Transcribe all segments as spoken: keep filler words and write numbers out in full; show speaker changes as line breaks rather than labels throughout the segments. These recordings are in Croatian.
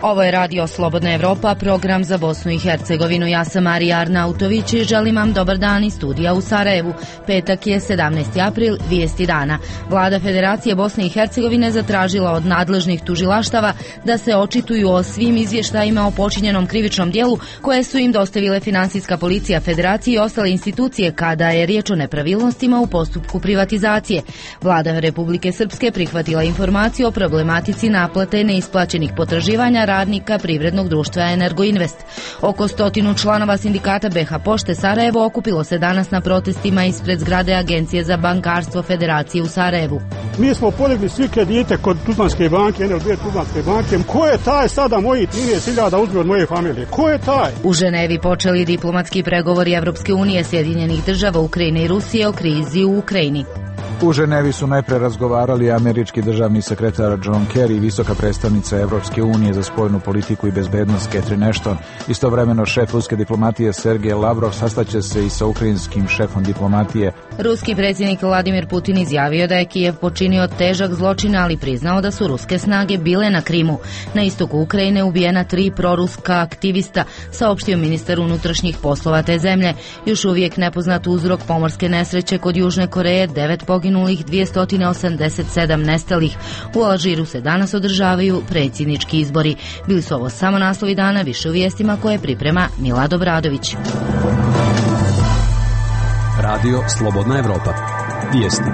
Ovo je Radio Slobodna Evropa, program za Bosnu i Hercegovinu. Ja sam Marija Arnautović i želim vam dobar dan iz studija u Sarajevu. Petak je sedamnaesti april, vijesti dana. Vlada Federacije Bosne i Hercegovine zatražila od nadležnih tužilaštava da se očituju o svim izvještajima o počinjenom krivičnom dijelu koje su im dostavile Finansijska policija Federacije i ostale institucije kada je riječ o nepravilnostima u postupku privatizacije. Vlada Republike Srpske prihvatila informaciju o problematici naplate neisplaćenih potraživanja radnika privrednog društva Energoinvest. Oko stotinu članova sindikata B H Pošte Sarajevo okupilo se danas na protestima ispred zgrade Agencije za bankarstvo Federacije u Sarajevu.
Mi smo podigli svi kredite kod Tuzlanske banke, N L B Tuzlanske banke. Ko je taj sada moji trinaest hiljada uzme od moje familije? Ko je taj?
U Ženevi počeli diplomatski pregovori Evropske unije, Sjedinjenih država, Ukrajine i Rusije o krizi u Ukrajini.
U Ženevi su najpre razgovarali američki državni sekretar John Kerry i visoka predstavnica Evropske unije za spoljnu politiku i bezbednost Catherine Ashton. Istovremeno šef ruske diplomatije Sergej Lavrov sastaće se i sa ukrajinskim šefom diplomatije.
Ruski predsjednik Vladimir Putin izjavio da je Kijev počinio težak zločin, ali priznao da su ruske snage bile na Krimu. Na istoku Ukrajine ubijena tri proruska aktivista, saopštio ministar unutrašnjih poslova te zemlje. Još uvijek nepoznat uzrok pomorske nesreće kod Južne Koreje, devet poginulih, dvjesto osamdeset sedam nestalih. U Alžiru se danas održavaju predsjednički izbori. Bili su ovo samo naslovi dana, više u vijestima koje priprema Milad Obradović.
Radio Slobodna Evropa. Vijesti.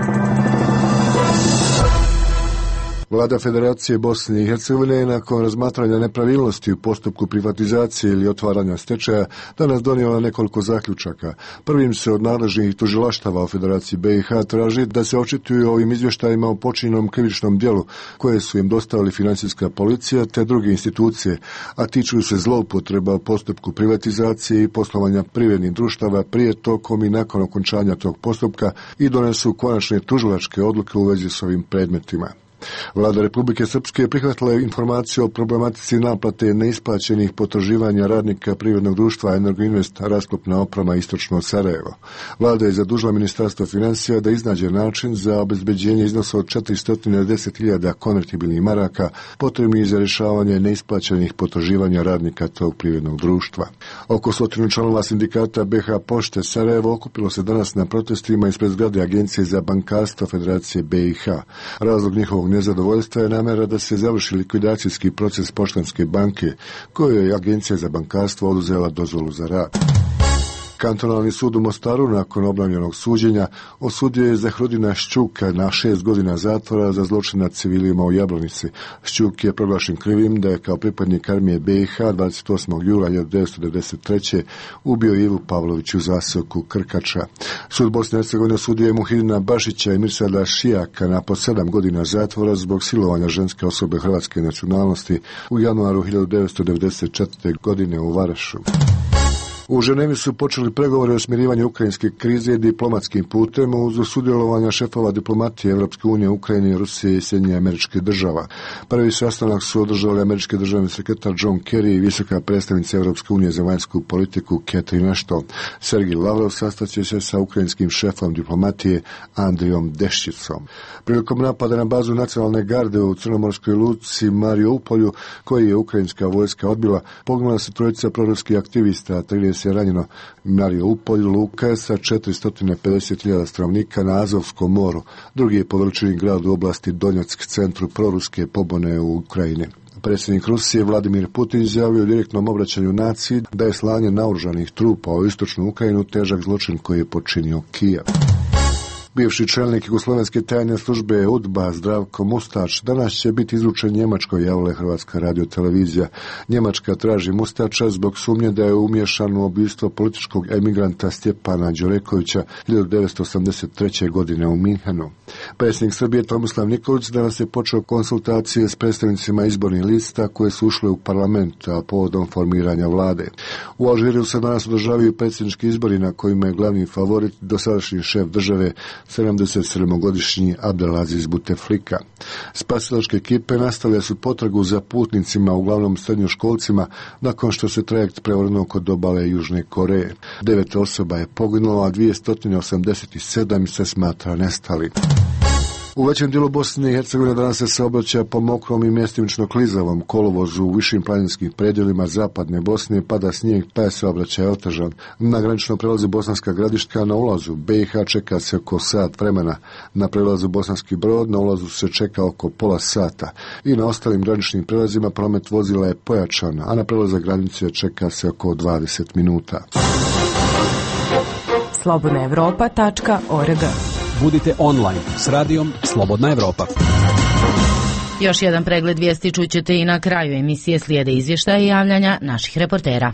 Vlada Federacije Bosne i Hercegovine je nakon razmatranja nepravilnosti u postupku privatizacije ili otvaranja stečaja danas donijela nekoliko zaključaka. Prvim se od nadležnih tužilaštava u Federaciji B i H traži da se očituju ovim izvještajima o počinjenom krivičnom djelu koje su im dostavili Finansijska policija te druge institucije, a tiču se zloupotreba u postupku privatizacije i poslovanja privrednih društava prije, tokom i nakon okončanja tog postupka i donesu konačne tužilačke odluke u vezi s ovim predmetima. Vlada Republike Srpske prihvatila je informaciju o problematici naplate neisplaćenih potraživanja radnika privrednog društva Energoinvest rasklopna oprema istočno od Sarajeva. Vlada je zadužila Ministarstvo financija da iznađe način za obezbeđenje iznosa od četiristo deset hiljada konvertibilnih maraka potrebnih za rješavanje neisplaćenih potraživanja radnika tog privrednog društva. Oko stotinu članova sindikata B H Pošte Sarajevo okupilo se danas na protestima ispred zgrade Agencije za bankarstvo Federacije B i H. Razlog njihovog nezadovoljstva je namjera da se završi likvidacijski proces Poštanske banke, kojoj je Agencija za bankarstvo oduzela dozvolu za rad. Kantonalni sud u Mostaru nakon obnovljenog suđenja osudio je Zahrudina Šćuka na šest godina zatvora za zločin nad civilima u Jablonici. Šćuk je proglašen krivim da je kao pripadnik armije B i H dvadeset osmog jula hiljadu devetsto devedeset treće ubio Ivu Pavlović u zaseoku Krkača. Sud Bosne i Hercegovine osudio je Muhidina Bašića i Mirsada Šijaka na po sedam godina zatvora zbog silovanja ženske osobe hrvatske nacionalnosti u januaru hiljadu devetsto devedeset četvrte. godine u Varašu. U Ženevi su počeli pregovori o smirivanju ukrajinske krize diplomatskim putem uz sudjelovanja šefova diplomatije Evropske unije, Ukrajine, Rusije i Sjedinjenih Američkih Država. Prvi sastanak su održali američki državni sekretar John Kerry i visoka predstavnica Evropske unije za vanjsku politiku Catherine Ashton. Sergej Lavrov sastaće se sa ukrajinskim šefom diplomatije Andrijom Deščicom. Prilikom napada na bazu nacionalne garde u crnomorskoj luci Mariupolju, koji je ukrajinska vojska odbila, poginula se trojica proruskih aktivista, trideset je ranjeno. Mariupolj luka sa četiristo pedeset hiljada stanovnika na Azovskom moru, drugi je po veličini grad u oblasti Donjeck, centru proruske pobune u Ukrajini. Predsjednik Rusije Vladimir Putin izjavio u direktnom obraćanju naciji da je slanje naoružanih trupa u istočnu Ukrajinu težak zločin koji je počinio Kijev. Bivši čelnik jugoslovenske tajne službe U D B A Zdravko Mustač danas će biti izručen Njemačkoj, javila je Hrvatska radiotelevizija. Njemačka traži Mustača zbog sumnje da je umiješan u ubistvo političkog emigranta Stjepana Đurekovića hiljadu devetsto osamdeset treće. godine u Minhenu. Predsjednik Srbije Tomislav Nikolić danas je počeo konsultacije s predstavnicima izbornih lista koje su ušle u parlament, a povodom formiranja vlade. U Alžiru se danas održavaju predsjednički izbori na kojima je glavni favorit dosadašnji šef države sedamdeset sedmogodišnji Abdelaziz Buteflika. Spasilačke ekipe nastavile su potragu za putnicima, uglavnom srednjoškolcima, nakon što se trajekt prevrnuo kod obale Južne Koreje. Devet osoba je poginulo, a dvjesto osamdeset sedam se smatra nestali. U većem dijelu Bosne i Hercegovine danas se saobraća po mokrom i mjestimično klizavom kolovozu. U višim planinskim predjelima zapadne Bosne pada snijeg, pa je saobraćaj otežan. Na graničnom prelazu Bosanska Gradiška na ulazu B i H čeka se oko sat vremena. Na prelazu Bosanski Brod na ulazu se čeka oko pola sata. I na ostalim graničnim prelazima promet vozila je pojačan, a na prelazu granice čeka se oko dvadeset minuta.
slobodna evropa tačka org.
Budite online s radijom Slobodna Evropa.
Još jedan pregled vijesti čućete i na kraju emisije, slijede izvještaja i javljanja naših reportera.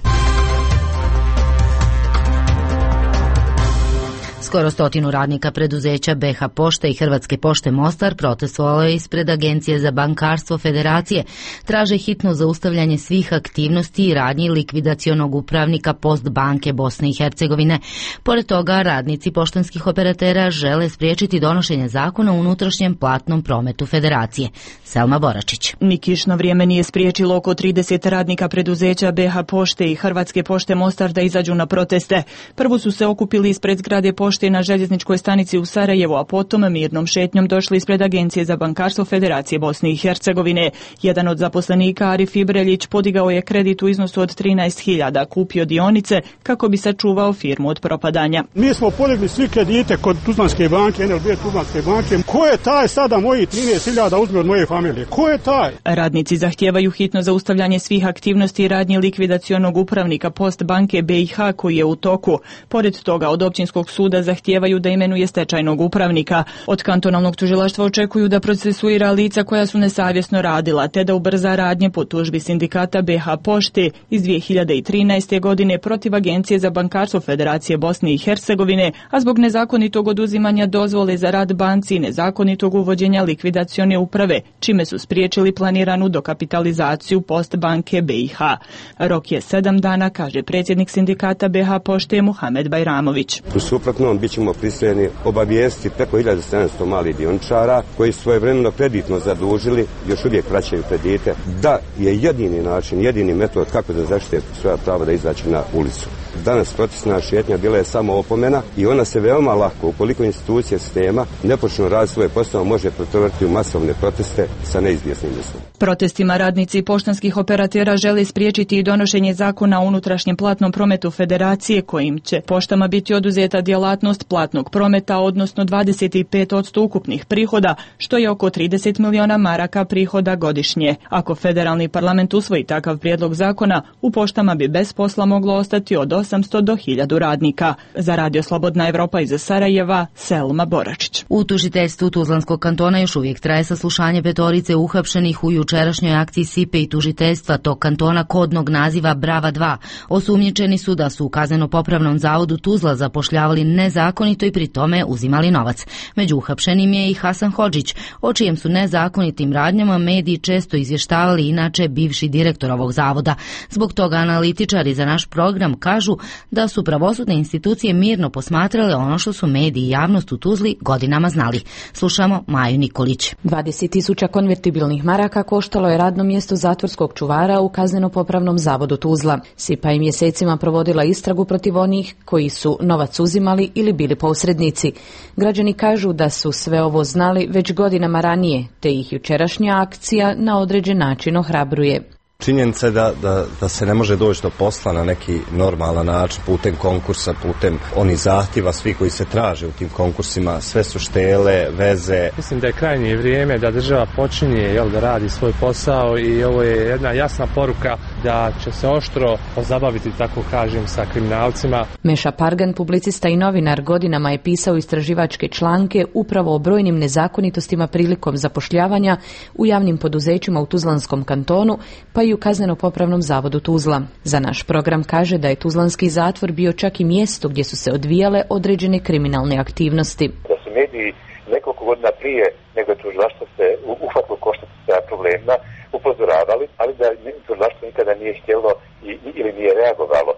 Skoro stotinu radnika preduzeća B H Pošte i Hrvatske pošte Mostar protestovalo je ispred Agencije za bankarstvo Federacije. Traže hitno zaustavljanje svih aktivnosti i radnji likvidacionog upravnika Postbanke Bosne i Hercegovine. Pored toga, radnici poštanskih operatera žele spriječiti donošenje zakona o unutrašnjem platnom prometu Federacije. Selma Boračić.
Ni kišno vrijeme nije spriječilo oko trideset radnika preduzeća B H Pošte i Hrvatske pošte Mostar da izađu na proteste. Prvo su se okupili ispred zgrade pošte na željezničkoj stanici u Sarajevu, a potom mirnom šetnjom došli ispred Agencije za bankarstvo Federacije Bosne i Hercegovine. Jedan od zaposlenika, Arif Ibreljić, podigao je kredit u iznosu od trinaest hiljada, kupio dionice kako bi sačuvao firmu od propadanja.
Mi smo podigli svi kredite kod Tuzlanske banke, N L B Tuzlanske banke. Ko je taj sada moji trinaest hiljada uzme od moje familije? Ko je taj?
Radnici zahtijevaju hitno zaustavljanje svih aktivnosti i radnji likvidacionog upravnika Postbanke B i H koji je u toku. Pored toga, od općinskog suda zahtijevaju da imenuje stečajnog upravnika. Od kantonalnog tužilaštva očekuju da procesuira lica koja su nesavjesno radila, te da ubrza radnje po tužbi sindikata B H Pošte iz dvije hiljade trinaeste. godine protiv Agencije za bankarstvo Federacije Bosne i Hercegovine, a zbog nezakonitog oduzimanja dozvole za rad banci i nezakonitog uvođenja likvidacione uprave, čime su spriječili planiranu dokapitalizaciju Postbanke B i H. Rok je sedam dana, kaže predsjednik sindikata B H Pošte Muhamed Bajramović.
U suprotnom, bit ćemo prisiljeni obavijestiti preko hiljadu sedamsto malih dioničara koji su svojevremeno kreditno zadužili, još uvijek vraćaju kredite, da je jedini način, jedini metod kako da zaštite svoja prava da izaći na ulicu. Danas protestna šetnja bila je samo opomena i ona se veoma lako, ukoliko institucije sistema ne počnu raditi svoje posao, može pretvoriti u masovne proteste sa neizvjesnim ishodom.
Protestima radnici poštanskih operatera žele spriječiti i donošenje zakona o unutrašnjem platnom prometu Federacije kojim će poštama biti oduzeta djelatnost platnog prometa, odnosno dvadeset pet posto ukupnih prihoda, što je oko trideset miliona maraka prihoda godišnje. Ako federalni parlament usvoji takav prijedlog zakona, u poštama bi bez posla moglo ostati od osamsto do hiljadu radnika. Za Radio Slobodna Evropa iz Sarajeva, Selma Boračić.
U tužiteljstvu Tuzlanskog kantona još uvijek traje saslušanje petorice uhapšenih u jučerašnjoj akciji S I P E i tužiteljstva tog kantona kodnog naziva Brava dva. Osumnjičeni su da su u kazneno-popravnom zavodu Tuzla zapošljavali nezakonito i pri tome uzimali novac. Među uhapšenim je i Hasan Hodžić, o čijem su nezakonitim radnjama mediji često izvještavali inače bivši direktor ovog zavoda. Zbog toga analitičari za naš program kažu da su pravosudne institucije mirno posmatrale ono što su mediji i javnost u Tuzli godinama znali. Slušamo Maju Nikolić.
dvadeset tisuća konvertibilnih maraka koštalo je radno mjesto zatvorskog čuvara u kazneno-popravnom zavodu Tuzla. S I P A je mjesecima provodila istragu protiv onih koji su novac uzimali ili bili posrednici. Građani kažu da su sve ovo znali već godinama ranije, te ih jučerašnja akcija na određen način ohrabruje.
Činjenica je da, da, da se ne može doći do posla na neki normalan način, putem konkursa, putem onih zahtjeva, svi koji se traže u tim konkursima, sve su štele, veze.
Mislim da je krajnje vrijeme da država počinje jel, da radi svoj posao i ovo je jedna jasna poruka da će se oštro pozabaviti, tako kažem, sa kriminalcima.
Meša Pargan, publicista i novinar, godinama je pisao istraživačke članke upravo o brojnim nezakonitostima prilikom zapošljavanja u javnim poduzećima u Tuzlanskom kantonu, pa i u kazneno-popravnom zavodu Tuzla. Za naš program kaže da je Tuzlanski zatvor bio čak i mjesto gdje su se odvijale određene kriminalne aktivnosti.
Da su mediji nekoliko godina prije nego tužilaštvo se uhvatilo koštac sa problemima upozoravali, ali da tužilaštvo nikada nije htjelo i, ili nije reagovalo,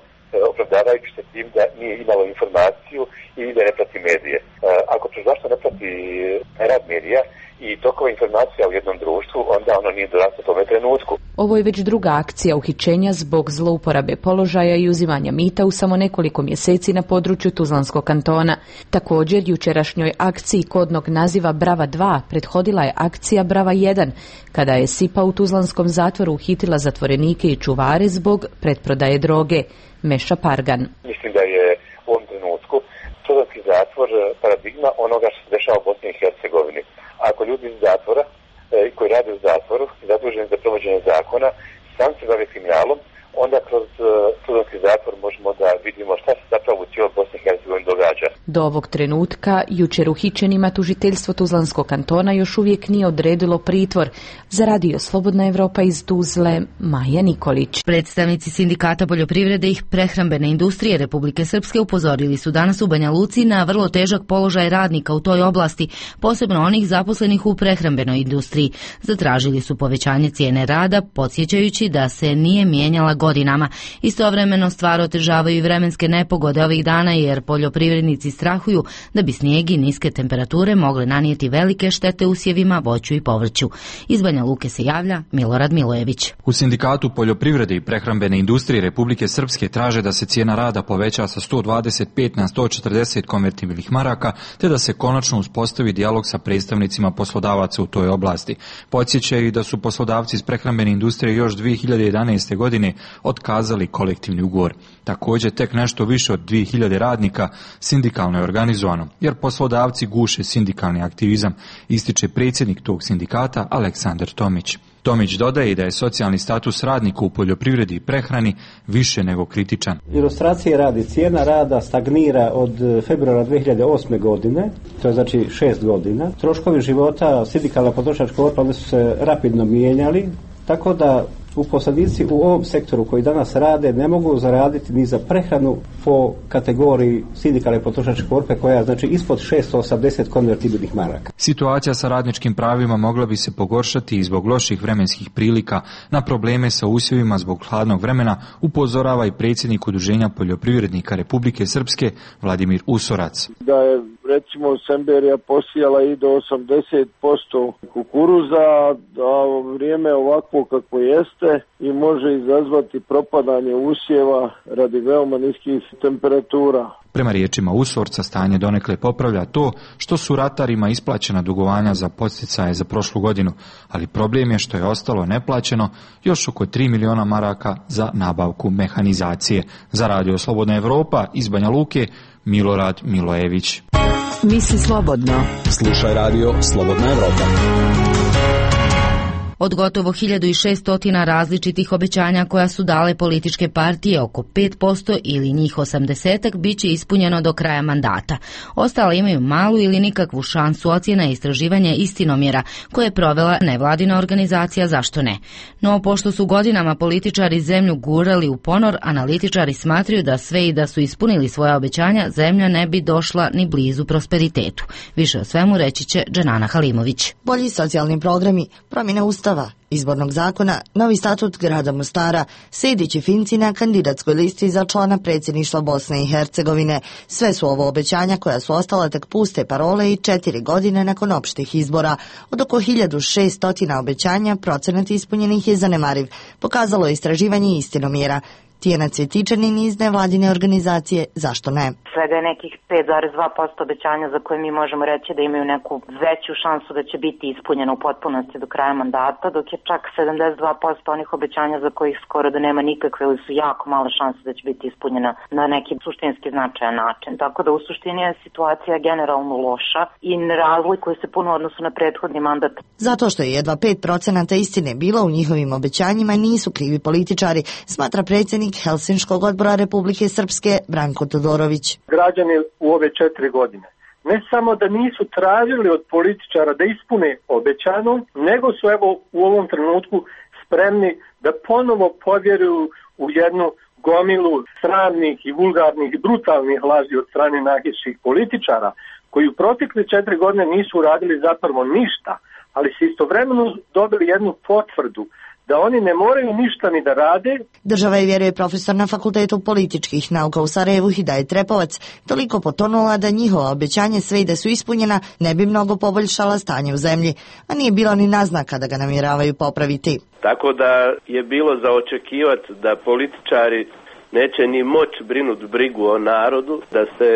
opravdavajući se tim da nije imalo informaciju i da ne prati medije. Ako tužilaštvo ne prati rad medija i tokova informacija u jednom društvu, onda ono nije doraslo tome trenutku.
Ovo je već druga akcija uhićenja zbog zlouporabe položaja i uzimanja mita u samo nekoliko mjeseci na području Tuzlanskog kantona. Također, jučerašnjoj akciji kodnog naziva Brava dva prethodila je akcija Brava jedan, kada je S I P A u Tuzlanskom zatvoru uhitila zatvorenike i čuvare zbog pretprodaje droge. Meša Pargan.
Mislim da je u ovom trenutku Tuzlanski zatvor paradigma onoga što se dešava u Bosni i Hercegovini. Ako ljudi iz zatvora e, koji rade u zatvoru i zaduženi za provođenje zakona sam se bave kriminalom, onda kroz uh, Tuzlanski zatvor možemo da vidimo šta se zapravo u cijeloj Bosni i Hercegovini događa.
Do ovog trenutka jučer uhićenima tužiteljstvo Tuzlanskog kantona još uvijek nije odredilo pritvor. Za Radio Slobodna Evropa iz Tuzle, Maja Nikolić.
Predstavnici Sindikata poljoprivrede i prehrambene industrije Republike Srpske upozorili su danas u Banja Luci na vrlo težak položaj radnika u toj oblasti, posebno onih zaposlenih u prehrambenoj industriji. Zatražili su povećanje cijene rada, podsjećajući da se nije mijenjala godinama. Istovremeno stvar otežavaju i vremenske nepogode ovih dana, jer poljoprivrednici strahuju da bi snijeg i niske temperature mogle nanijeti velike štete usjevima, voću i povrću. Iz Banja Luke se javlja Milorad Milojević.
U Sindikatu poljoprivrede i prehrambene industrije Republike Srpske traže da se cijena rada poveća sa sto dvadeset pet na sto četrdeset konvertibilnih maraka, te da se konačno uspostavi dijalog sa predstavnicima poslodavaca u toj oblasti. Podsjećaju da su poslodavci iz prehrambene industrije još dvije hiljade jedanaeste. godine otkazali kolektivni ugovor. Također, tek nešto više od dvije hiljade radnika sindikalno je organizovano, jer poslodavci guše sindikalni aktivizam, ističe predsjednik tog sindikata Aleksandar Tomić. Tomić dodaje da je socijalni status radnika u poljoprivredi i prehrani više nego kritičan.
Ilustracije radi, cijena rada stagnira od februara dvije hiljade osme. godine, to je znači šest godina. Troškovi života sindikalna potrošačka korpa oni su se rapidno mijenjali, tako da uposlenici u ovom sektoru koji danas rade ne mogu zaraditi ni za prehranu po kategoriji sindikalne potrošačke korpe koja je znači ispod šesto osamdeset konvertibilnih maraka.
Situacija sa radničkim pravima mogla bi se pogoršati i zbog loših vremenskih prilika. Na probleme sa usjevima zbog hladnog vremena upozorava i predsjednik Udruženja poljoprivrednika Republike Srpske Vladimir Usorac.
Da je recimo Semberija posijala i do osamdeset posto kukuruza, a vrijeme ovako kako jeste i može izazvati propadanje usjeva radi veoma niskih temperatura.
Prema riječima Usorca, stanje donekle popravlja to što su ratarima isplaćena dugovanja za podsticaje za prošlu godinu, ali problem je što je ostalo neplaćeno još oko tri miliona maraka za nabavku mehanizacije. Za Radio Slobodna Evropa iz Banja Luke, Milorad Milojević.
Misli slobodno.
Slušaj Radio Slobodna Evropa.
Od gotovo hiljadu šesto različitih obećanja koja su dale političke partije, oko pet posto ili njih osamdeset bit će ispunjeno do kraja mandata. Ostale imaju malu ili nikakvu šansu, ocjena istraživanja Istinomjera koje je provela nevladina organizacija Zašto ne. No, pošto su godinama političari zemlju gurali u ponor, analitičari smatraju da sve i da su ispunili svoja obećanja, zemlja ne bi došla ni blizu prosperitetu. Više o svemu reći će Dženana Halimović.
Bolji socijalni programi, promjena ustava, izbornog zakona, novi statut grada Mostara, Sejdić i Finci na kandidatskoj listi za člana predsjedništva Bosne i Hercegovine. Sve su ovo obećanja koja su ostala tek puste parole i četiri godine nakon opštih izbora. Od oko hiljadu šesto obećanja procenat ispunjenih je zanemariv, pokazalo je istraživanje Istinomjera. Tijena Cvjetičanin iz nevladine organizacije Zašto ne?
Svega je nekih pet zarez dva posto obećanja za koje mi možemo reći da imaju neku veću šansu da će biti ispunjeno u potpunosti do kraja mandata, dok je čak sedamdeset dva posto onih obećanja za kojih skoro da nema nikakve ili su jako male šanse da će biti ispunjena na neki suštinski značajan način. Tako da u suštini je situacija generalno loša i ne razlikuje se puno odnosu na prethodni mandat.
Zato što je jedva pet procenata istine bilo u njihovim obećanjima nisu krivi političari, smatra predsjednik Helsinškog odbora Republike Srpske Branko Todorović.
Građani u ove četiri godine ne samo da nisu tražili od političara da ispune obećano, nego su evo u ovom trenutku spremni da ponovo povjeruju u jednu gomilu sramnih i vulgarnih i brutalnih laži od strane najviših političara koji u protekle četiri godine nisu uradili zapravo ništa, ali su istovremeno dobili jednu potvrdu da oni ne moraju ništa ni da rade.
Država je, vjeruje profesor na Fakultetu političkih nauka u Sarajevu Hidajet Trepovac, toliko potonula da njihova obećanje, sve i da su ispunjena, ne bi mnogo poboljšala stanje u zemlji, a nije bilo ni naznaka da ga namjeravaju popraviti.
Tako da je bilo za očekivati da političari neće ni moći brinuti brigu o narodu, da se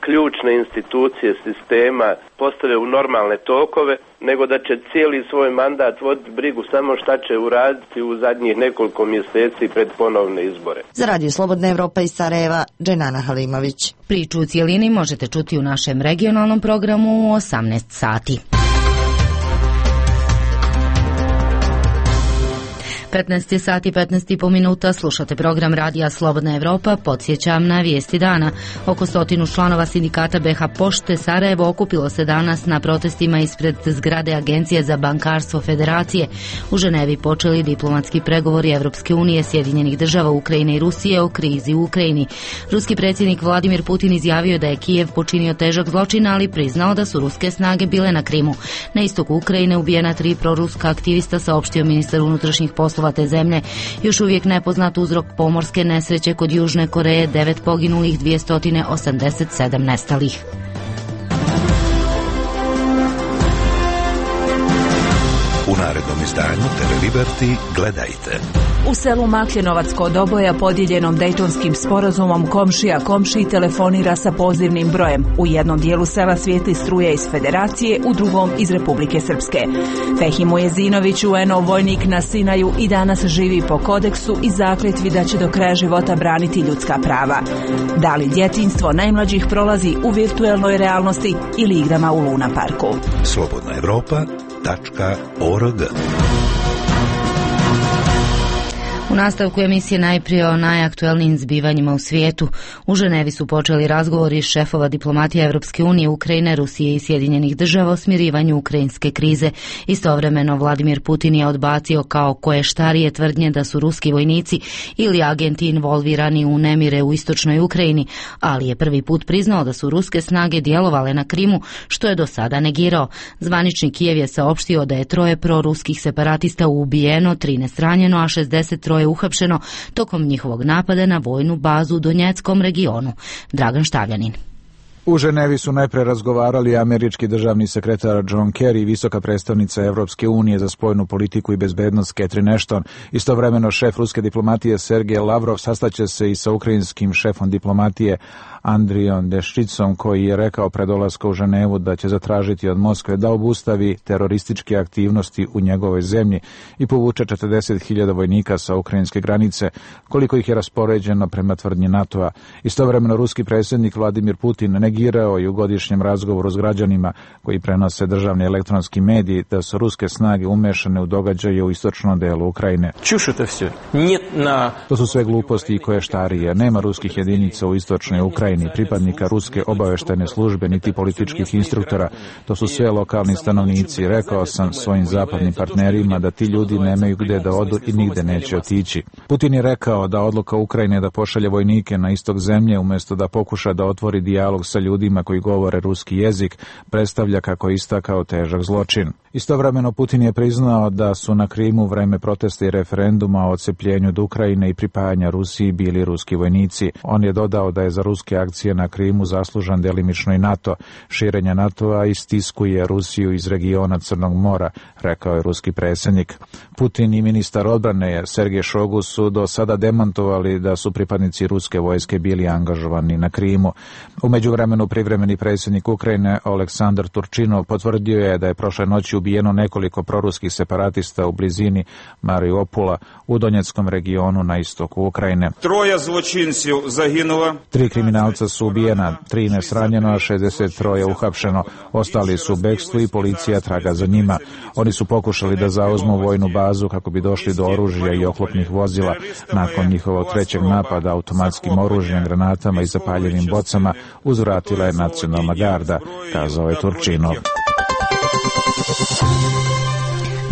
ključne institucije sistema postave u normalne tokove, nego da će cijeli svoj mandat voditi brigu samo šta će uraditi u zadnjih nekoliko mjeseci pred ponovne izbore.
Za Radio Slobodna Evropa iz Sarajeva, Dženana Halimović.
Priču u cijelini možete čuti u našem regionalnom programu u osamnaest sati. petnaest sati petnaest i po minuta, slušate program Radija Slobodna Evropa. Podsjećam na vijesti dana. Oko stotinu članova sindikata B H Pošte Sarajevo okupilo se danas na protestima ispred zgrade Agencije za bankarstvo Federacije. U Ženevi počeli diplomatski pregovori Evropske unije, Sjedinjenih država, Ukrajine i Rusije o krizi u Ukrajini. Ruski predsjednik Vladimir Putin izjavio da je Kijev počinio težak zločin, ali priznao da su ruske snage bile na Krimu. Na istoku Ukrajine ubijena tri proruska aktivista, saopštio ministar unutrašnjih poslova te zemlje. Još uvijek nepoznat uzrok pomorske nesreće kod Južne Koreje, devet poginulih, dvjesto osamdeset sedam nestalih.
U narednom izdanju T V Liberty gledajte.
U selu Makljenovac kod Oboja, podijeljenom Dejtonskim sporazumom, komšija komšiji telefonira sa pozivnim brojem. U jednom dijelu sela svijetli struje iz Federacije, u drugom iz Republike Srpske. Fehimo Jezinović, U N O vojnik na Sinaju, i danas živi po kodeksu i zakletvi da će do kraja života braniti ljudska prava. Da li djetinjstvo najmlađih prolazi u virtuelnoj realnosti ili igrama u Luna parku?
Slobodna Evropa tačka org.
U nastavku emisije najprije o najaktuelnijim zbivanjima u svijetu. U Ženevi su počeli razgovori šefova diplomatije Evropske unije, Ukrajine, Rusije i Sjedinjenih država o smirivanju ukrajinske krize. Istovremeno Vladimir Putin je odbacio kao koještarije tvrdnje da su ruski vojnici ili agenti involvirani u nemire u istočnoj Ukrajini, ali je prvi put priznao da su ruske snage djelovale na Krimu, što je do sada negirao. Zvanični Kijev je saopštio da je troje proruskih separatista ubijeno, trinaest ranjeno, a šezdeset troje uhapšeno tokom njihovog napada na vojnu bazu u Donjeckom regionu. Dragan Štavljanin.
U Ženevi su najpre razgovarali američki državni sekretar John Kerry i visoka predstavnica Evropske unije za spoljnu politiku i bezbednost Catherine Ashton. Istovremeno šef ruske diplomatije Sergej Lavrov sastaće se i sa ukrajinskim šefom diplomatije Andrijom Deščicom, koji je rekao pred dolaskom u Ženevu da će zatražiti od Moskve da obustavi terorističke aktivnosti u njegovoj zemlji i povuče četrdeset hiljada vojnika sa ukrajinske granice, koliko ih je raspoređeno prema tvrdnji NATO-a. Istovremeno ruski predsjednik Vladimir Putin negirao i u godišnjem razgovoru s građanima koji prenose državni elektronski mediji da su ruske snage umešane u događaje u istočnom delu Ukrajine. To su sve gluposti i koještarije. Nema ruskih jedinica u istočnoj Ukrajini, pripadnika ruske obaveštajne službe, niti političkih instruktora. To su sve lokalni stanovnici. Rekao sam svojim zapadnim partnerima da ti ljudi nemaju gdje da odu i nigde neće otići. Putin je rekao da odluka Ukrajine da pošalje vojnike na istok zemlje umjesto da pokuša da otvori dijalog sa ljudima koji govore ruski jezik predstavlja, kako je istakao, težak zločin. Istovremeno Putin je priznao da su na Krimu vreme protesta i referenduma o odcepljenju od Ukrajine i pripajanja Rusiji bili ruski vojnici. On je dodao da je za ruske akcije na Krimu zaslužan delimično i NATO. Širenje NATO-a istiskuje Rusiju iz regiona Crnog mora, rekao je ruski predsjednik. Putin i ministar odbrane Sergej Šogu su do sada demantovali da su pripadnici ruske vojske bili angažovani na Krimu. U međuvremenu privremeni predsjednik Ukrajine Oleksandar Turčinov potvrdio je da je prošle noći ubijeno nekoliko proruskih separatista u blizini Mariupula u Donjeckom regionu na istoku Ukrajine.
Troje zločinci zaginulo.
Tri kriminalca su ubijena, trinaest ranjeno, a šezdeset troje uhapšeno. Ostali su u bekstvu i policija traga za njima. Oni su pokušali da zauzmu vojnu bazu kako bi došli do oružja i oklopnih vozila. Nakon njihovog trećeg napada automatskim oružjem, granatama i zapaljivim bocama uzvratila je nacionalna garda, kazao je Turčinov.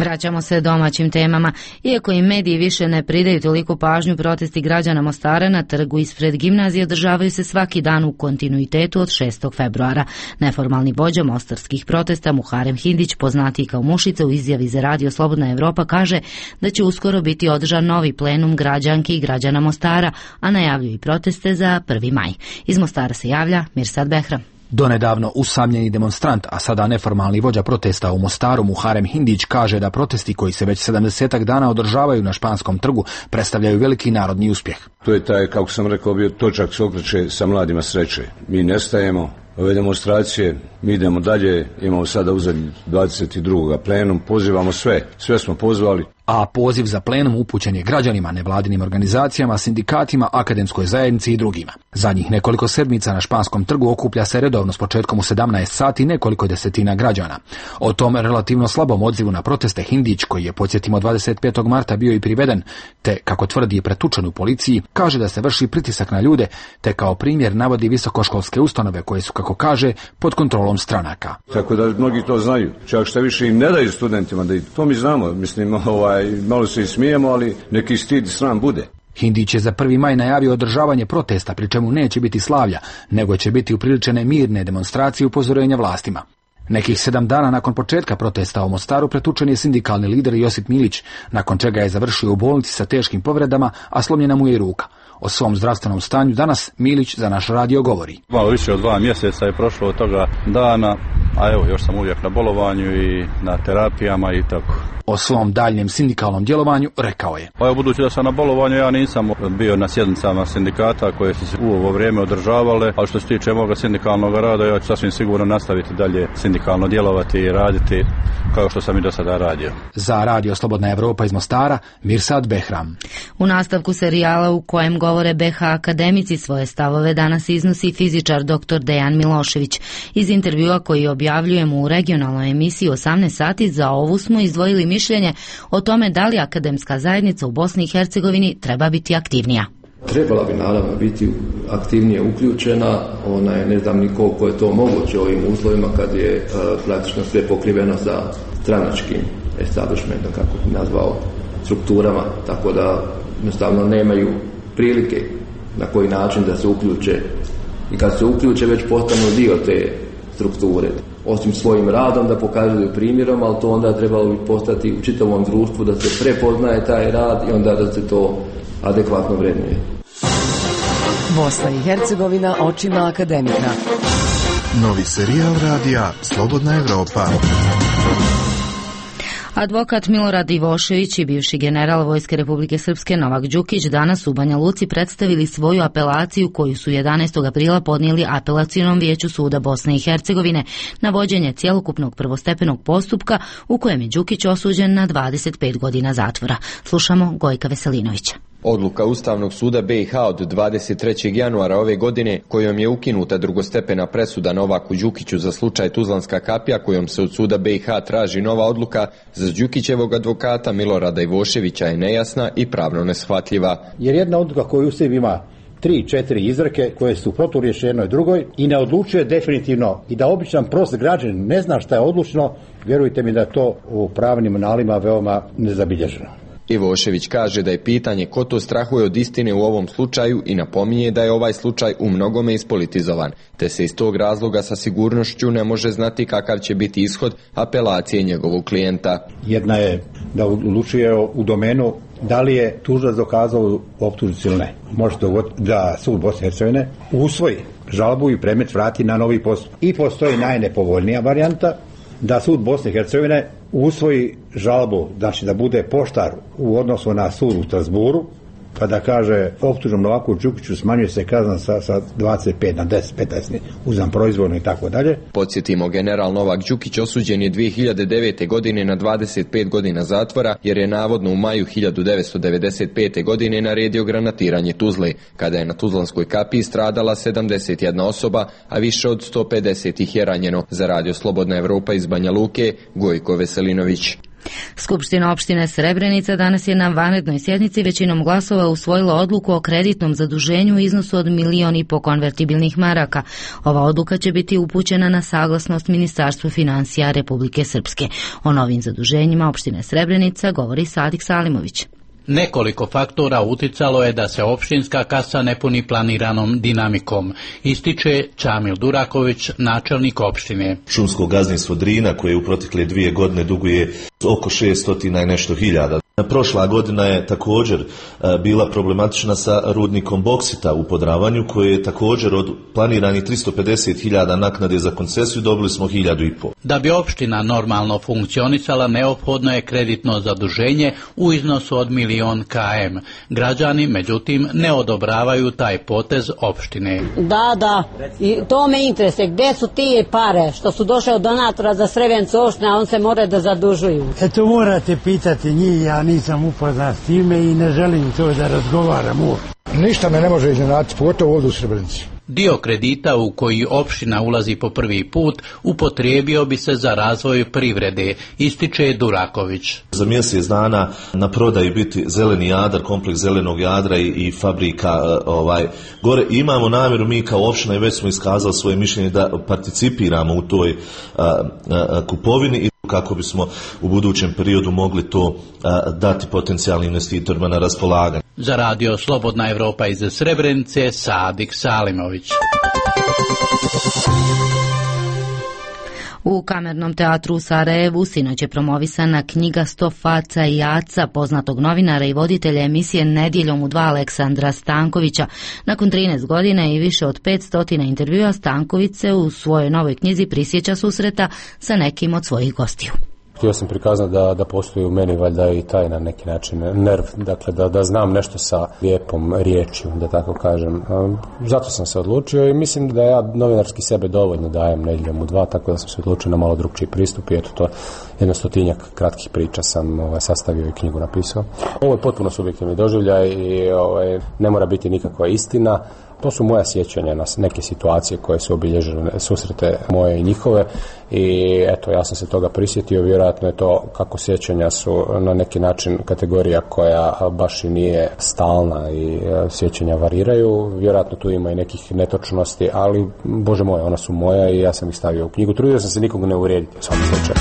Vraćamo se domaćim temama. Iako im mediji više ne pridaju toliko pažnju, protesti građana Mostara na trgu ispred gimnazije održavaju se svaki dan u kontinuitetu od šestog februara. Neformalni vođa mostarskih protesta Muharem Hindić, poznatiji kao Mušica, u izjavi za radio Slobodna Evropa kaže da će uskoro biti održan novi plenum građanki i građana Mostara, a najavljuju i proteste za prvi maj. Iz Mostara se javlja Mirsad Behram.
Donedavno usamljeni demonstrant, a sada neformalni vođa protesta u Mostaru Muharem Hindić kaže da protesti koji se već sedamdesetak dana održavaju na Španskom trgu predstavljaju veliki narodni uspjeh.
To je taj, kako sam rekao, bio točak se okreće sa mladima sreće. Mi nestajemo, ove demonstracije, mi idemo dalje, imamo sada uzet dvadeset drugog plenum, pozivamo sve, sve smo pozvali.
A poziv za plenum upućen je građanima, nevladinim organizacijama, sindikatima, akademskoj zajednici i drugima. Zadnjih nekoliko sedmica na Španskom trgu okuplja se redovno s početkom u sedamnaest sati nekoliko desetina građana. O tom relativno slabom odzivu na proteste Hindić, koji je, podsjetimo, dvadeset petog marta bio i priveden, te, kako tvrdi, pretučen u policiji, kaže da se vrši pritisak na ljude, te kao primjer navodi visokoškolske ustanove koje su, kako kaže, pod kontrolom stranaka.
Tako da mnogi to znaju, čak što više im ne daju studentima da idu. To mi znamo, mislim, ovaj, malo se i smijemo, ali neki stid i sram bude.
Hindić je za prvi maj najavio održavanje protesta, pri čemu neće biti slavlja, nego će biti upriličene mirne demonstracije upozorenja vlastima. Nekih sedam dana nakon početka protesta u Mostaru pretučen je sindikalni lider Josip Milić, nakon čega je završio u bolnici sa teškim povredama, a slomljena mu je i ruka. O svom zdravstvenom stanju danas Milić za naš radio govori.
Malo više od dva mjeseca je prošlo od toga dana, a evo još sam uvijek na bolovanju i na terapijama i tako.
O svom daljnjem sindikalnom djelovanju rekao je.
Pa evo, budući da sam na bolovanju, ja nisam bio na sjednicama sindikata koje su se u ovo vrijeme održavale, ali što se tiče moga sindikalnog rada, ja ću sasvim sigurno nastaviti dalje sindikalno djelovati i raditi kao što sam i do sada radio.
Za radio Slobodna Evropa iz Mostara, Mirsad Behram.
U nastavku serijala u kojem govore B H akademici svoje stavove danas iznosi fizičar doktor Dejan Milošević. Iz intervjua koji objavljujemo u regionalnoj emisiji osamnaest sati za ovu smo izdvojili mišljenje o tome da li akademska zajednica u Bosni i Hercegovini treba biti aktivnija.
Trebala bi naravno biti aktivnije uključena, ona je, ne znam ni koliko je to moguće u ovim uslovima kad je uh, praktično sve pokriveno sa stranačkim establishmentom, kako bi nazvao, strukturama, tako da jednostavno nemaju prilike na koji način da se uključe i kad se uključe već postanu dio te strukture. Osim svojim radom da pokazuju primjerom, ali to onda trebalo bi postati u čitavom društvu da se prepoznaje taj rad i onda da se to adekvatno vrednuje.
Bosna i Hercegovina očima akademika.
Novi serijal radija Slobodna Evropa.
Advokat Milorad Ivošević i bivši general Vojske Republike Srpske Novak Đukić danas u Banja Luci predstavili svoju apelaciju koju su jedanaestog aprila podnijeli Apelacionom vijeću suda Bosne i Hercegovine na vođenje cjelokupnog prvostepenog postupka u kojem je Đukić osuđen na dvadeset pet godina zatvora. Slušamo Gojka Veselinovića.
Odluka Ustavnog suda B i H od dvadeset trećeg januara ove godine, kojom je ukinuta drugostepena presuda Novaku Đukiću za slučaj Tuzlanska kapija, kojom se od suda B i H traži nova odluka, za Đukićevog advokata Milorada Ivoševića je nejasna i pravno neshvatljiva.
Jer jedna odluka koju u sebi ima tri, četiri izreke koje su proturječne jednoj drugoj i ne odlučuje definitivno i da običan prost građanin ne zna šta je odlučno, vjerujte mi da je to u pravnim analima veoma nezabilježeno.
Ivošević kaže da je pitanje ko to strahuje od istine u ovom slučaju i napominje da je ovaj slučaj u mnogome ispolitizovan, te se iz tog razloga sa sigurnošću ne može znati kakav će biti ishod apelacije njegovog klijenta.
Jedna je da odlučuje u domenu da li je tužilac dokazao optužnicu ili ne. Može dogoditi da sud Bosne i Hercegovine usvoji žalbu i predmet vrati na novi postupak. I postoji najnepovoljnija varijanta da sud Bosne i Hercegovine usvoji žalbu, znači da bude poštar u odnosu na sud u Strasburu, pa da kaže optužnom Novaku Đukiću smanjuje se kazna sa, sa dvadeset pet na deset, petnaest, uzam proizvodno i tako dalje.
Podsjetimo, general Novak Đukić osuđen je dvije hiljade devete. godine na dvadeset pet godina zatvora, jer je navodno u maju hiljadu devetsto devedeset pete. godine naredio granatiranje Tuzle, kada je na Tuzlanskoj kapiji stradala sedamdeset jedna osoba, a više od sto pedeset ih je ranjeno. Za radio Slobodna Evropa iz Banja Luke, Gojko Veselinović.
Skupština opštine Srebrenica danas je na vanrednoj sjednici većinom glasova usvojila odluku o kreditnom zaduženju u iznosu od milion i po konvertibilnih maraka. Ova odluka će biti upućena na saglasnost Ministarstvu financija Republike Srpske. O novim zaduženjima opštine Srebrenica govori Sadik Salimović.
Nekoliko faktora uticalo je da se opštinska kasa ne puni planiranom dinamikom, ističe Čamil Duraković, načelnik opštine.
Šumsko gazdinstvo Drina, koje u protekle dvije godine duguje oko šessto i nešto hiljada. Prošla godina je također bila problematična sa rudnikom boksita u Podravanju, koje je također od planiranih tristo pedeset hiljada naknade za koncesiju dobili smo hiljadu i pol.
Da bi opština normalno funkcionisala, neophodno je kreditno zaduženje u iznosu od milion km. Građani, međutim, ne odobravaju taj potez opštine.
Da, da, i to me interesuje. Gde su ti pare što su došle od donatora za Srebrenicu opštine, a on se mora da zadužuju?
Eto, morate pitati njih, ja nisam upoznat s time i ne želim to da razgovaram uopšte.
Ništa me ne može iznenaditi, pogotovo ovdje u Srebrenici.
Dio kredita u koji opština ulazi po prvi put upotrijebio bi se za razvoj privrede, ističe Duraković.
Za mjesec dana na prodaji biti zeleni Jadar, kompleks zelenog Jadra i, i fabrika ovaj gore. Imamo namjeru mi kao opština i već smo iskazali svoje mišljenje da participiramo u toj a, a, kupovini i kako bismo u budućem periodu mogli to a, dati potencijalnim investitorima na raspolaganje.
Za radio Slobodna Evropa iz Srebrenice, Sadik Salimović.
U Kamernom teatru u Sarajevu sinoć je promovisana knjiga Sto faca i Aca poznatog novinara i voditelja emisije Nedjeljom u dva Aleksandra Stankovića. Nakon trinaest godina i više od petsto intervjua, Stanković se u svojoj novoj knjizi prisjeća susreta sa nekim od svojih gostiju.
Htio sam prikazati da, da postoji u meni valjda i taj na neki način nerv, dakle da, da znam nešto sa lijepom riječju, da tako kažem. Zato sam se odlučio i mislim da ja novinarski sebe dovoljno dajem Nedjeljom u dva, tako da sam se odlučio na malo drugčiji pristup i eto to jedno stotinjak kratkih priča sam ovaj, sastavio i knjigu napisao. Ovo je potpuno subjektivni doživljaj i ovaj, ne mora biti nikakva istina. To su moja sjećanja na neke situacije koje su obilježile susrete moje i njihove i eto ja sam se toga prisjetio, vjerojatno je to kako sjećanja su na neki način kategorija koja baš i nije stalna i sjećanja variraju, vjerojatno tu ima i nekih netočnosti, ali Bože moj, ona su moja i ja sam ih stavio u knjigu, trudio sam se nikog ne uvrijediti u svakom slučaju.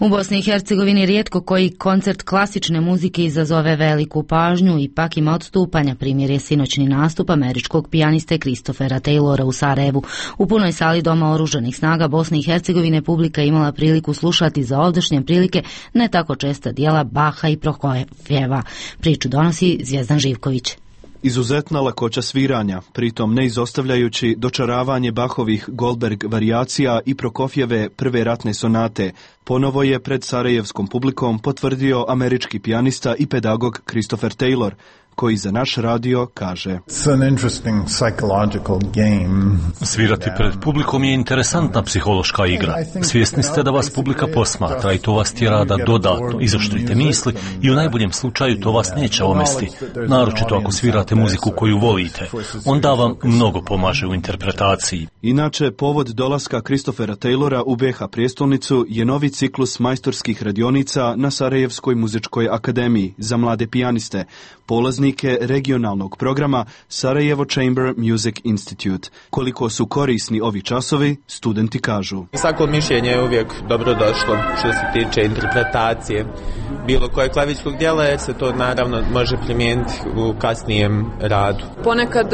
U Bosni i Hercegovini rijetko koji koncert klasične muzike izazove veliku pažnju, ipak ima odstupanja. Primjer je sinoćni nastup američkog pijaniste Christophera Taylora u Sarajevu. U punoj sali Doma oružanih snaga Bosne i Hercegovine publika imala priliku slušati za ovdašnje prilike ne tako česta dijela Baha i Prokofjeva. Priču donosi Zvjezdan Živković.
Izuzetna lakoća sviranja, pritom ne izostavljajući dočaravanje Bahovih Goldberg varijacija i Prokofjeve prve ratne sonate, ponovo je pred sarajevskom publikom potvrdio američki pijanista i pedagog Christopher Taylor, koji za naš radio kaže:
Svirati pred publikom je interesantna psihološka igra. Svjesni ste da vas publika posmatra i to vas tjera da dodatno izoštrite misli i u najboljem slučaju to vas neće omesti, naročito ako svirate muziku koju volite. Onda vam mnogo pomaže u interpretaciji.
Inače, povod dolaska Christophera Taylora u B H prijestolnicu je novi ciklus majstorskih radionica na Sarajevskoj muzičkoj akademiji za mlade pijaniste, polaznike regionalnog programa Sarajevo Chamber Music Institute. Koliko su korisni ovi časovi, studenti kažu.
Svako mišljenje je uvijek dobro došlo što se tiče interpretacije bilo koje klavičkog dijela, jer se to naravno može primijeniti u kasnijem radu.
Ponekad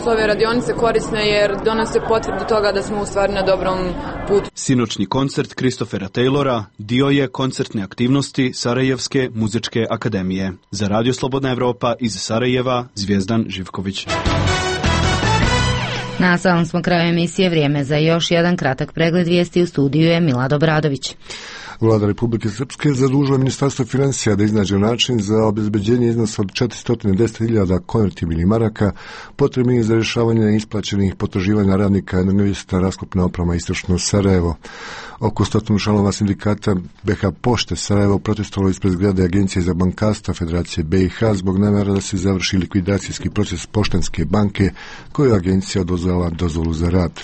su ove radionice korisne jer donose potvrdu toga da smo u stvari na dobrom putu.
Sinoćni koncert Christophera Taylora dio je koncertne aktivnosti Sarajevske muzičke akademije. Za Radio Slobodna Evropa iz Sarajeva, Zvjezdan Živković.
Na samom smo kraju emisije, vrijeme za još jedan kratak pregled vijesti. U studiju je Milad Obradović.
Vlada Republike Srpske zadužila Ministarstvo financija da iznađe način za obezbeđenje iznosa od četiristo deset hiljada konvertibilnih maraka potrebnih za rješavanje isplaćenih potraživanja radnika Energovista raskopna oprema Istočno Sarajevo. Oko stotinu članova sindikata B H Pošte Sarajevo protestovalo ispred zgrade Agencije za bankarstvo Federacije B i H zbog namjera da se završi likvidacijski proces Poštanske banke koju agencija oduzela dozvolu za rad.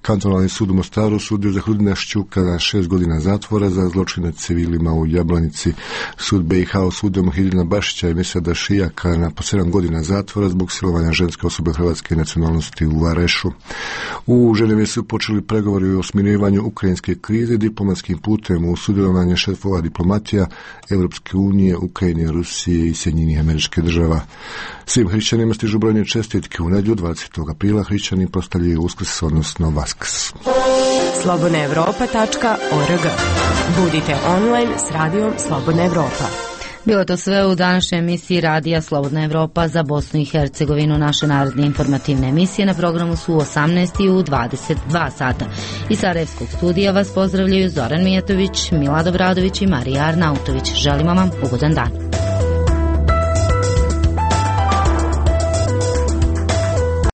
Kantonalni sud u Mostaru sudio za Hrudina Šćuka na šest godina zatvora za zločine nad civilima u Jablanici. Sud B i H osudio Muhidina Bašića i Mesada Šijaka na po sedam godina zatvora zbog silovanja ženske osobe hrvatske nacionalnosti u Varešu. U Ženevi su počeli pregovori o smirivanju ukrajinske krize diplomatskim putem u sudjelovanje šefova diplomatija Evropske unije, Ukrajine, Rusije i Sjedinjenih Američkih Država. Svim hrišćanima stižu brojne čestitke. U nedjelju dvadesetog aprila hrišćani proslavljaju Uskrs, odnosno Vaskrs.
slobodna evropa tačka org. Budite online s radijom Slobodna Evropa.
Bilo to sve u današnjoj emisiji Radija Slobodna Evropa za Bosnu i Hercegovinu. Naše naredne informativne emisije na programu su u osamnaest i u dvadeset dva sata. Iz Sarajevskog studija vas pozdravljaju Zoran Mijatović, Milad Obradović i Marija Arnautović. Želimo vam ugodan dan.